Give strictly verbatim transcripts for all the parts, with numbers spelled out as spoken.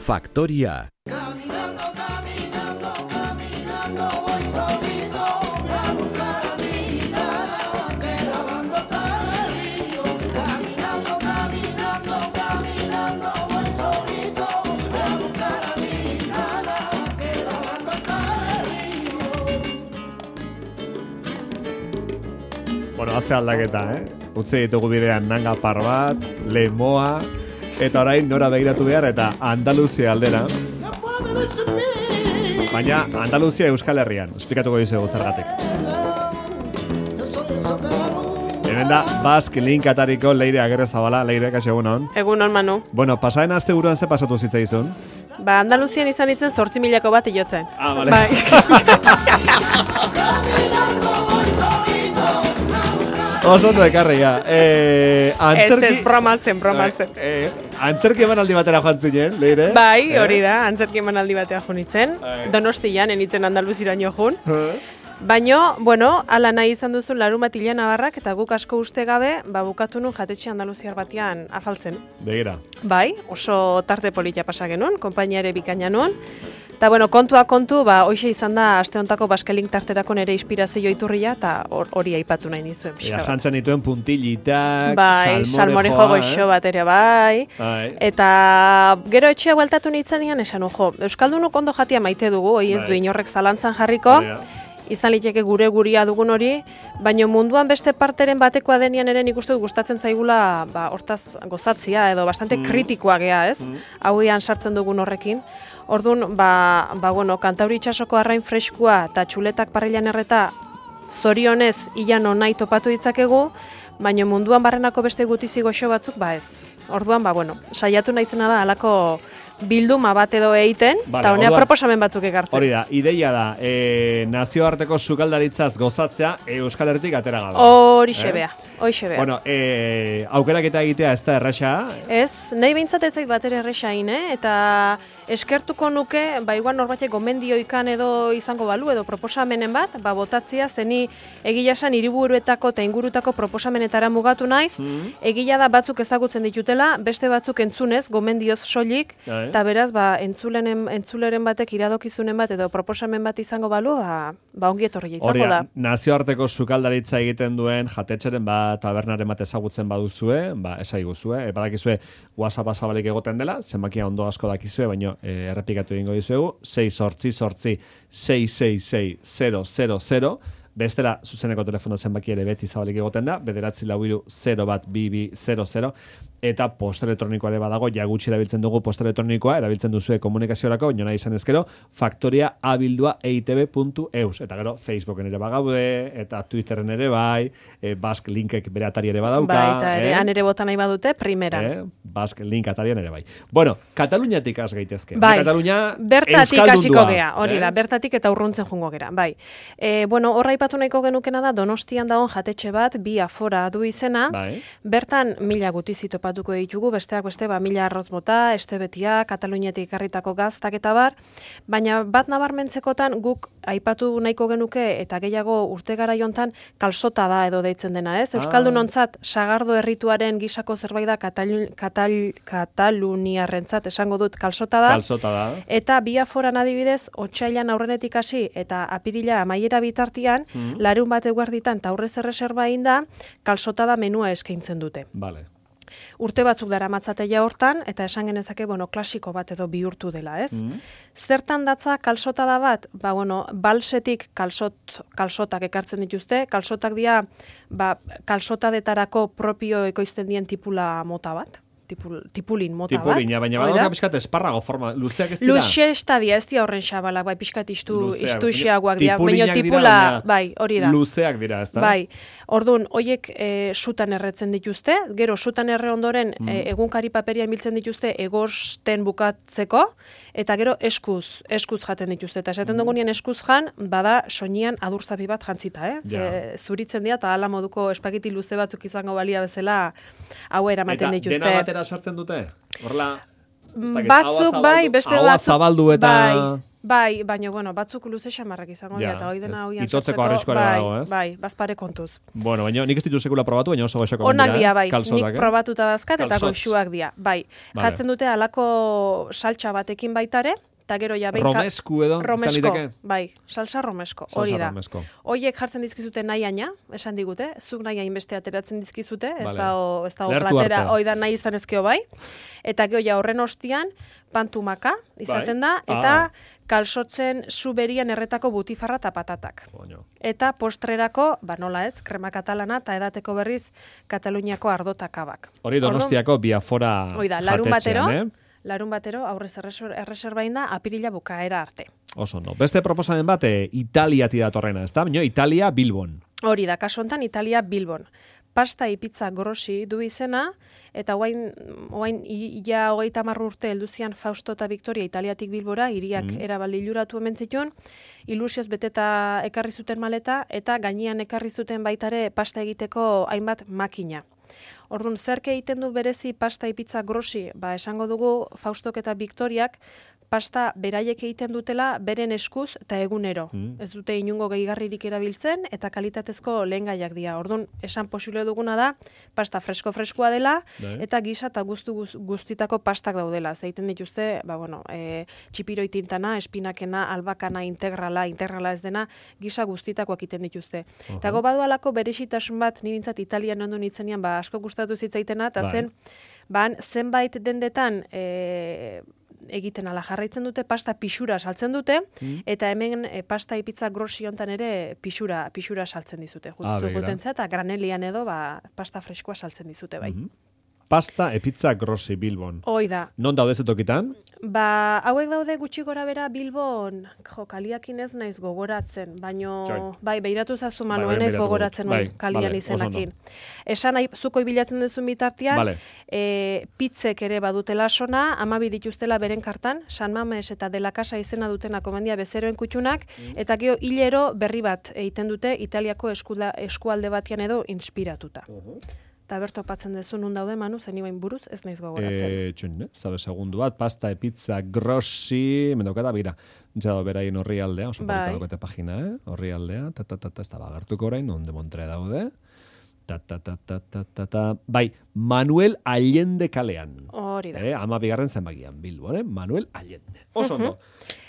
Factoria. Bueno, hace aldaketa, eh? Utzi ditugu bidean nanga par bat, lemoa, eta orain nora begiratu behar eta Andaluzia aldera. Baina Andaluzia Euskal Herrian, esplikatuko dizuegu zergatik. Hemen da, Basque Link atariko Leire Agirrezabala. Leire, kaixo egunon. Egunon, Manu. Bueno, pasaden aste buruan ze pasatu zitzaizun? Ba, Andaluzian izan itzen zortzi milako bat iotzen. Ah, vale. Bai. Oso ondo ekarria. Eh, antzerki... Ez, ez, broma zen, broma zen. Eh, eh, antzerki emanaldi batera joan zinen, Leire? Bai, eh? hori da, antzerki emanaldi batea joan itzen. Eh. Donostian, enitzen Andaluziraino joan. Eh? Baina, bueno, ala nahi izan duzu larun bat hilean nabarrak, eta guk asko uste gabe, ba, bukatu nun jatetxe andaluziar batean afaltzen. Begira. Bai, oso tarte polita pasa genuen, konpainia ere bikaina nuen. Eta, bueno, kontua kontu, ba, hoxe izan da, aste hontako Basque Link tarterako nere inspirazio iturria, eta hori aipatu nahi nizuen. Ja, jantzen dituen puntilitak, bai, salmorejo goxo eh? bat ere, bai. Bai. Eta gero etxea bueltatu nintzenean esan, ojo, Euskaldunok ondo jatia maite dugu, hoi ez Bai. du inorrek zalantzan jarriko, izan liteke gure guria dugun hori, baina munduan beste parteren batekoa denean ere nik uste dut gustatzen zaigula, ba, hortaz gozatzia, edo bastante Mm. kritikoa gea, ez? Mm. Hauean sartzen dugun horrekin. Orduan, ba, ba, bueno, Kantauri itsasoko arrain freskua eta txuletak parrilan erreta zorionez ilan nahi topatu ditzakegu, baina munduan barrenako beste gutizi goxo batzuk, ba ez. Orduan, ba, bueno, saiatu naizena da halako bilduma bat edo egiten, eta Vale, honea orduan, proposamen batzuk ekartzen. Hori da, ideia da, e, nazioarteko sukaldaritzaz gozatzea Euskal Herritik atera gabe. Horixe bea, horixe bea. Bueno, e, aukeraketa egitea ez da erraxa. Ez, nahi behintzat ez zait bat ere erresain, eh? Eta eskertuko nuke, ba igual norbatek gomendioikan edo izango balu, edo proposamenen bat, ba botatzia, zeni egia esan hiriburuetako eta ingurutako proposamenetara mugatu naiz, Mm. egia da batzuk ezagutzen ditutela, beste batzuk entzunez, gomendioz soilik, Bai. eta beraz, ba, entzulenen, entzuleren batek iradokizunen bat edo proposamen bat izango balu, ba, ba ongi etorri Hori izango da, da. nazioarteko sukaldaritza egiten duen jatetxeren bat, tabernaren bat ezagutzen baduzue, ba, esaiguzue, e, badakizue WhatsApp zabalik egoten dela, zenbakia ondo asko dakizue, baino e, errepikatu egingo dizuegu, sei sortzi sortzi sei sei sei zero zero zero, bestela zuzeneko telefono zenbaki ere beti zabalik egoten da, bederatzi lau hiru zero bat bi bi zero zero, eta posta elektronikoa ere badago, ja gutxi erabiltzen dugu posta elektronikoa, erabiltzen duzue komunikaziorako, baina nahi izan ezkero, faktoria abildua eitb puntu eus, eta gero Facebooken ere bagaude, eta Twitteren ere bai, e, Basque Linkek bere atari ere badauka. Bai, eta ere, eh? han ere bota nahi badute, primeran. Eh? Basque Link atarian ere bai. Bueno, Kataluniatik has gaitezke. Bai, Katalunia bertatik hasiko gea, hori eh? da, bertatik eta urruntzen jungo gera, bai. E, bueno, horra aipatu nahiko genukena da, Donostian dagoen jatetxe bat, bi afora du izena, Bai. bertan mila gutizi topatuko ditugu, besteak beste, ba, mila arroz bota, estebetia, Kataluniatik ekarritako gaztak eta bar, baina bat nabarmentzekotan guk aipatu nahiko genuke eta gehiago urte garaiontan kalsota da edo deitzen dena, ez? Euskaldunontzat sagardo errituaren gisako zerbait da Katal, Katal, Kataluniarrentzat esango dut kalsota da. Kalsota da. Eta bi aforan adibidez, otsailan aurrenetik hasi eta apirila amaiera bitartian, Mm. larun bat eguerditan eta aurrez erreserba egin da, kalsota da menua eskaintzen dute. Vale. Urte batzuk daramatzateia hortan, eta esan genezake, bueno, klasiko bat edo bihurtu dela, ez? Mm. Zertan datza kalsota da bat? Ba, bueno, balsetik kalsot, kalsotak ekartzen dituzte, kalsotak dira, ba, kalsotadetarako propio ekoizten dien tipula mota bat. Tipul, tipulin mota Tipulin, ja, bat. baina Hori da? badauka pixkat esparrago forma, luzeak ez dira? Luxe estadia, ez dira horren xabalak, bai, pixkat istu, Luzeak, istuxiagoak dira, tipulinak baina dira, tipula, baina bai, hori da. Luzeak dira, ez da? Bai, orduan, hoiek e, sutan erretzen dituzte, gero sutan erre ondoren Mm. e, egunkari paperia biltzen dituzte egosten bukatzeko, eta gero eskuz, eskuz jaten dituzte. Eta esaten dugunean eskuz jan, bada soinian adurzapi bat jantzita, eh? Ze, Ja. zuritzen dira, eta hala moduko espageti luze batzuk izango balia bezala hau eramaten Eta dituzte. dena batera sartzen dute? Horrela, ez dakit, Batzuk ahoa bai, zabaldu- beste ahoa batzuk zabaldu eta... bai. Bai, baina, bueno, batzuk luze xamarrak izango dira, eta hoi dena hoian itotzeko arriskoa dago, ez? Bai, bazpare kontuz. Bueno, baina nik ez ditu sekula probatu, baina oso goxoko onak dira, bai, kalzotak, nik probatuta dazkat, eta goxuak dira, bai. Vale. Jartzen dute alako saltsa batekin baitare, eta gero ja behin... Romesku edo, romesko, bai, salsa romesko, hori da. Romesko. Hoiek jartzen dizkizute nahiaina, esan digute, zuk nahi hainbeste ateratzen dizkizute, ez Vale. da ez da Lertu platera, arte. hoi da nahi izan ezkeo bai, eta gero ja horren ostian, pantumaka izaten da, Bai. eta Ah. kalsotzen zu berian erretako butifarra eta patatak. Boño. Eta postrerako, ba nola ez, krema katalana eta edateko berriz Kataluniako ardotakabak. Hori Donostiako Biafora Hoi da, larun jatetxean, batero, eh? larun batero aurrez erreser- erreserbain da apirila bukaera arte. Oso no. Beste proposamen bat, e, Italiati datorrena, ez da? Baina Italia Bilbon. Hori da, kasu hontan Italia Bilbon. Pasta y pizza grossi du izena, eta oain, oain ia hogeita hamar urte helduzian Fausto eta Victoria Italiatik Bilbora, hiriak mm. erabali luratu hemen zituen, ilusioz beteta ekarri zuten maleta, eta gainean ekarri zuten baitare pasta egiteko hainbat makina. Orduan, zerke egiten du berezi pasta y pizza grossi, ba esango dugu Faustok eta Victoriak pasta beraiek egiten dutela beren eskuz eta egunero. Mm. Ez dute inungo gehigarririk erabiltzen eta kalitatezko lehengaiak dira. Orduan, esan posible duguna da pasta fresko-freskoa dela Dai. eta gisa eta guztu guz- guztitako pastak daudela. Zeiten dituzte, ba bueno, e, txipiroi tintana, espinakena, albakana, integrala, integrala ez dena, gisa guztitakoak egiten dituzte. Aha. Eta go badu alako berezitasun bat, nirintzat Italian ondo nitzenian, ba asko gustatu zitzaitena, eta Bai. zen, ban zenbait dendetan e, egiten ala jarraitzen dute, pasta pixura saltzen dute, Mm. eta hemen e, pasta ipitza grossi hontan ere pixura, pixura saltzen dizute. Ah, Jutzu begira. gutentza eta granelian edo ba, pasta freskoa saltzen dizute, bai. Mhm. Pasta e pizza grossi Bilbon. Hoi da. Non daude zetokitan? Ba, hauek daude gutxi gora bera Bilbon, jo, kaliakin ez naiz gogoratzen, baino, Txoi. bai, beiratu zazu Bai, Manu, bai, ez naiz beiratuko gogoratzen dut. hori Bai, kalian vale, izenakin. oso Esan nahi, zuko bilatzen duzun bitartean, Vale. e, pizzek ere badutela sona, amabi dituztela beren kartan, San Mames eta De la Casa izena dutena komendia bezeroen kutxunak, eta gero hilero berri bat egiten dute Italiako eskuda, eskualde batian edo inspiratuta. Eta berto patzen dezu nun daude, Manu, zen ibain buruz, ez naiz gogoratzen. Eh, txun, eh? Zabe segundu bat, pasta e pizza grossi, mendokata, bira, jado beraien horri aldea, oso Bai. polita daukate pagina, eh? Horri aldea, ta, ta, ta, ta, ez da bagartuko orain, onde montre daude. Ta, ta, ta, ta, ta, ta, ta. Bai, Manuel Allende kalean. Hori da. Eh, ama bigarren zenbakian, Bilbo, eh? Manuel Allende. Oso ondo.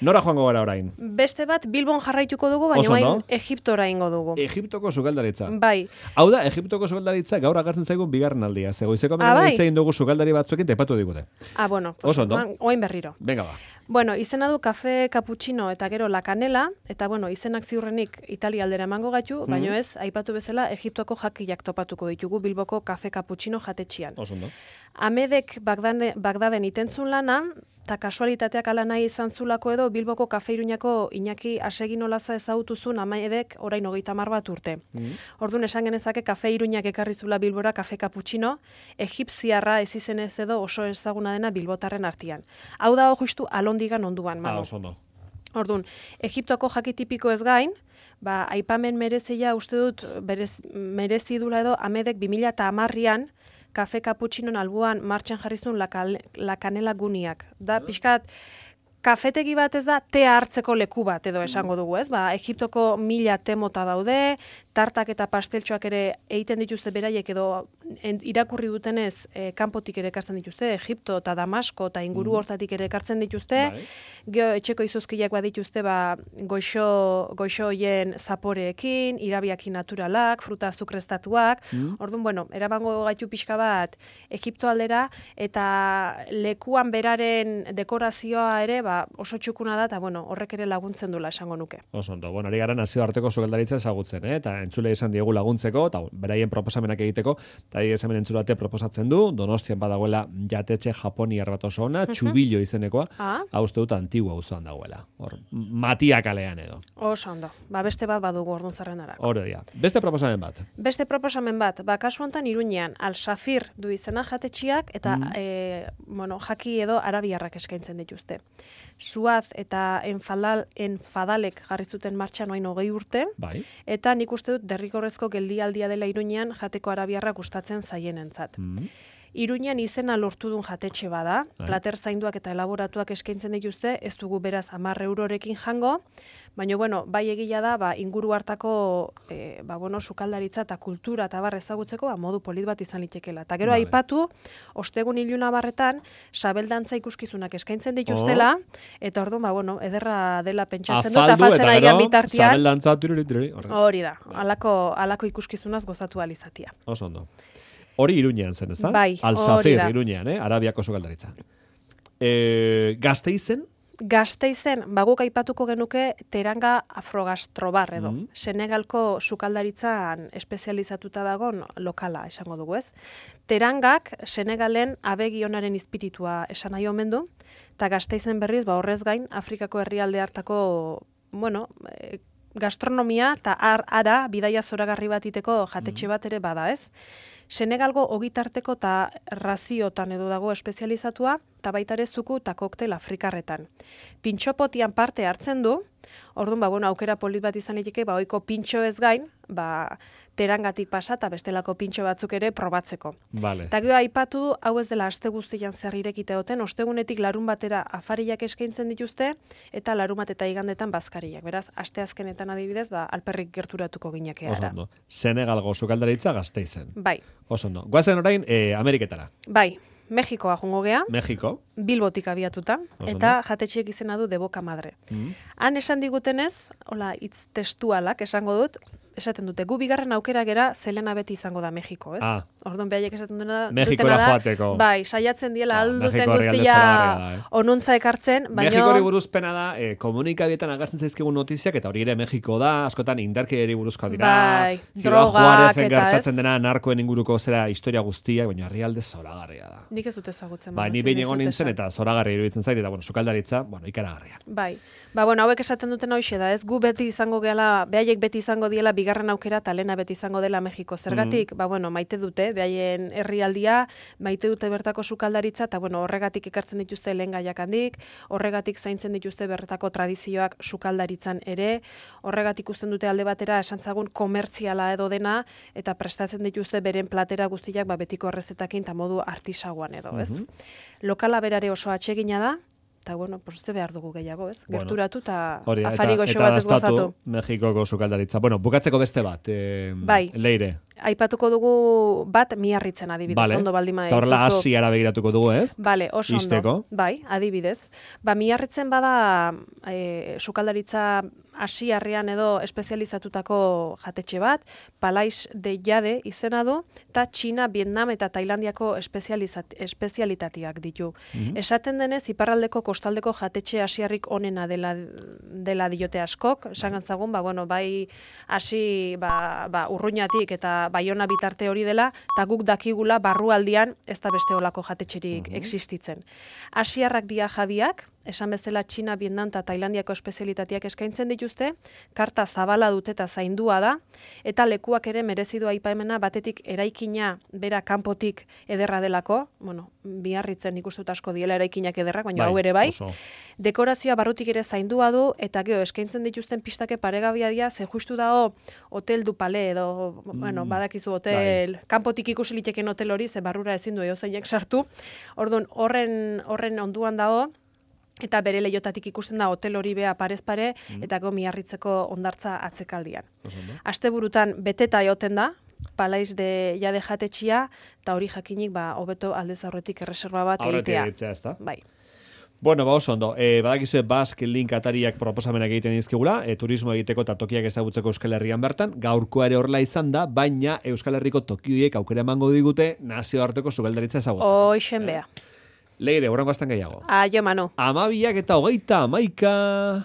Nora joango gara orain? Beste bat Bilbon jarraituko dugu, baina Oso orain ondo. Egiptora ingo dugu. Egiptoko sukaldaritza. Bai. Hau da, Egiptoko sukaldaritza gaur agertzen zaigun bigarren aldia. Zegoizeko Ah, hemen bai. hitz egin dugu sukaldari batzuekin tepatu digute. Ah, bueno, pues, Oso ondo. oan- oain berriro. Venga ba. Bueno, izena du kafe cappuccino eta gero la canela, eta bueno, izenak ziurrenik Italia aldera emango gaitu, Mhm. baino ez, aipatu bezala Egiptoko jakiak topatuko ditugu Bilboko kafe cappuccino jatetxian. Oso ondo. Amedek Bagdade, Bagdaden itentzun lana, eta kasualitateak ala nahi izan zulako edo Bilboko kafe Iruñako Iñaki Asegin olaza ezagutuzun Amedek orain hogeita hamar bat urte. Mhm. Orduan esan genezake kafe Iruñak ekarri zula Bilbora kafe cappuccino, egipziarra ez izenez edo oso ezaguna dena Bilbotarren artean. Hau da justu alondigan onduan, Ah, Manu. oso ondo. Orduan, Egiptoko jaki tipiko ez gain, ba, aipamen merezia uste dut berez, merezi dula edo Amedek bi mila hamarrean kafe cappuccinon albuan martxan jarrizun la, cal, la canela guniak. Da, pixkat, kafetegi bat ez da, tea hartzeko leku bat edo esango dugu, ez? Ba, Egiptoko mila te mota daude, tartak eta pasteltxoak ere egiten dituzte beraiek edo en, irakurri dutenez e, kanpotik ere ekartzen dituzte, Egipto eta Damasko eta inguru hortatik ere ekartzen dituzte, Bai. gero etxeko izuzkiak badituzte ba, goixo, goixo hoien zaporeekin, irabiakin naturalak, fruta azukrestatuak, Mm. orduan, bueno, erabango gaitu pixka bat Egipto aldera, eta lekuan beraren dekorazioa ere ba, oso txukuna da, eta bueno, horrek ere laguntzen dula esango nuke. Oso ondo. Bueno, ari gara nazioarteko sukaldaritza ezagutzen, eh? Eta entzule izan diegu laguntzeko, eta beraien proposamenak egiteko, eta ari hemen entzulate proposatzen du, Donostian badagoela jatetxe japoniar bat oso ona, txubillo izenekoa, Ah, hau uste dut antigua auzoan dagoela. Hor, Matia kalean edo. oso ondo. Ba, beste bat badugu orduan zerrendarako. Hori dira. Beste proposamen bat. Beste proposamen bat, ba, kasu honetan Iruñean, Al-Safir du izena jatetxiak, eta Mm. e, bueno, jaki edo arabiarrak eskaintzen dituzte. Suaz eta enfadal, enfadalek jarri zuten martxan oain hogei urte, Bai. eta nik uste dut derrigorrezko geldialdia dela Iruñean jateko arabiarra gustatzen zaienentzat. Mm. Iruñean izena lortu duen jatetxe bada, Bai. plater zainduak eta elaboratuak eskaintzen dituzte, ez dugu beraz hamar eurorekin jango, baina, bueno, bai egila da, ba, inguru hartako, e, ba, bueno, sukaldaritza eta kultura eta bar ezagutzeko, ba, modu polit bat izan litekela. Eta gero Vale. aipatu, ostegun iluna barretan, sabeldantza ikuskizunak eskaintzen dituztela, eta orduan, ba, bueno, ederra dela pentsatzen dut, Afaldu afaltzen eta ari gero, bitartean, zabeldantza, tururi, tururi, horrez. hori da, alako, alako ikuskizunaz gozatu alizatia. Oso ondo. Hori Iruñean zen, ezta? Bai, Al-Safir, hori da. Iruñean, eh? Arabiako sukaldaritza. E, Gasteizen? Gasteizen, baguk aipatuko genuke teranga afrogastrobar edo. Mhm. Senegalko sukaldaritzan espezializatuta dagon lokala esango dugu, ez? Terangak Senegalen abegionaren espiritua esan nahi omen du, eta Gasteizen berriz, ba horrez gain, Afrikako herrialde hartako, bueno, e, gastronomia eta ar, ara bidaia zoragarri bat iteko jatetxe bat ere bada, ez? Senegalgo ogitarteko eta raziotan edo dago espezializatua, eta baita ere zuku eta koktel afrikarretan. Pintxopotian parte hartzen du, orduan, ba, bueno, aukera polit bat izan liteke, ba, ohiko pintxo ez gain, ba, terangatik pasa eta bestelako pintxo batzuk ere probatzeko. Vale. Eta gero aipatu du, hau ez dela aste guztian zer irekite duten, ostegunetik larun batera afariak eskaintzen dituzte, eta larun bat eta igandetan bazkariak. Beraz, aste azkenetan adibidez, ba, alperrik gerturatuko ginake Oso ara. ondo. Senegalgo sukaldaritza Gasteizen. Bai, Oso ondo. Goazen orain, eh, Ameriketara. bai, Mexikoa jungo gea, Mexiko. Bilbotik abiatuta, Oso eta jatetxeek izena du De Boca Madre. Mm. Han esan digutenez, hola, hitz testualak esango dut, esaten dute, gu bigarren aukera gera zelena beti izango da Mexiko, ez? Ah. Orduan behaiek esaten dutena, Mexikora dutena da, joateko. bai, saiatzen diela Ah, alduten Mexiko herrialde guztia zoragarria da, eh? onuntza ekartzen, baina... Mexikori buruzpena da, eh, komunikabietan agertzen zaizkigun notiziak, eta hori ere Mexiko da, askotan indarkeriari buruzkoa dira. Bai, Ciudad drogak Juarezen eta gertatzen ez? dena narkoen inguruko zera historia guztiak, baina herrialde zoragarria da. Nik ez dut ezagutzen. Ba, baina ni ezin behin dizut egon nintzen esan. eta zoragarria iruditzen zait, eta bueno, sukaldaritza, bueno, ikaragarria. Bai. Ba, bueno, hauek esaten duten hoxe da, ez? Gu beti izango gehala, behaiek beti izango diela bigarren aukera, eta lehena beti izango dela Mexiko. Zergatik, ba, bueno, maite dute, behaien herrialdia, maite dute bertako sukaldaritza, eta bueno, horregatik ekartzen dituzte lehen gaiak handik, horregatik zaintzen dituzte bertako tradizioak sukaldaritzan ere, horregatik usten dute alde batera esantzagun komertziala edo dena, eta prestatzen dituzte beren platera guztiak, ba, betiko errezetakin eta modu artisagoan edo, ez? Mhm. Lokala berare oso atsegina da, eta, bueno, pues ze behar dugu gehiago, ez? Bueno, Gerturatu eta Hori, da, afari eta, goxo eta batez gozatu. dastatu Mexikoko sukaldaritza. Bueno, bukatzeko beste bat, eh, Bai. Leire. Aipatuko dugu bat Miarritzen adibidez, Vale. ondo baldima Eta horrela dituzu. Asiara begiratuko dugu, ez? Bale, oso ondo. Ixteko. Bai, adibidez. Ba, Miarritzen bada e, sukaldaritza asiarrean edo espezializatutako jatetxe bat, Palais de Jade izena du, eta Txina, Vietnam eta Tailandiako espezializat, espezialitateak ditu. Mhm. Esaten denez, iparraldeko kostaldeko jatetxe asiarrik onena dela, dela diote askok, esan gantzagun, ba, bueno, bai hasi ba, ba, urruñatik eta baiona bitarte hori dela, eta guk dakigula barrualdian ez da beste olako jatetxerik existitzen. Asiarrak dia jabiak, esan bezala Txina, Vietnam eta Tailandiako espezialitateak eskaintzen dituzte, karta zabala dute eta zaindua da, eta lekuak ere merezidu aipamena batetik eraikina bera kanpotik ederra delako, bueno, Biarritzen nik uste dut asko diela eraikinak ederrak, baina Bai, hau ere bai, oso. dekorazioa barrutik ere zaindua du, eta gero eskaintzen dituzten pistake paregabia dira, ze justu dago Hotel du Palais edo, bueno, badakizu hotel, kanpotik ikusi liteken hotel hori, ze barrura ezin du eozeinek sartu, orduan horren, horren onduan dago, eta bere leiotatik ikusten da hotel hori bea parez pare, eta go Miarritzeko hondartza atzekaldian. Oso ondo. Asteburutan beteta egoten da, Palais de Jade jatetxia, eta hori jakinik, ba, hobeto aldez aurretik erreserba bat Aurretik egitea. egitea, ezta? Bai. Bueno, ba oso ondo. E, badakizue Basque Link atariak proposamenak egiten dizkigula, e, turismo egiteko eta tokiak ezagutzeko Euskal Herrian bertan, gaurkoa ere horrela izan da, baina Euskal Herriko tokioiek aukera emango digute nazioarteko sukaldaritza ezagutzeko. Hoixen bea. Leire, horrengo azten gehiago. Aio, Manu. Amabiak eta hogeita amaika...